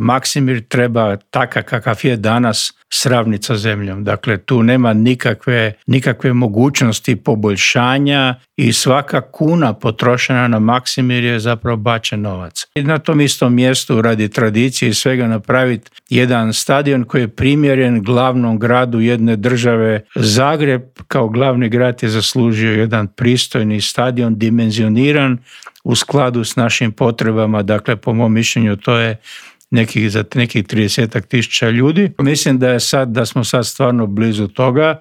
Maksimir treba takav kakav je danas sravniti sa zemljom. Dakle, tu nema nikakve mogućnosti poboljšanja i svaka kuna potrošena na Maksimir je zapravo bačen novac. I na tom istom mjestu radi tradicije i svega napraviti jedan stadion koji je primjeren glavnom gradu jedne države. Zagreb kao glavni grad je zaslužio jedan pristojni stadion, dimenzioniran u skladu s našim potrebama. Dakle, po mom mišljenju to je nekih 30,000 ljudi. Mislim da smo sad stvarno blizu toga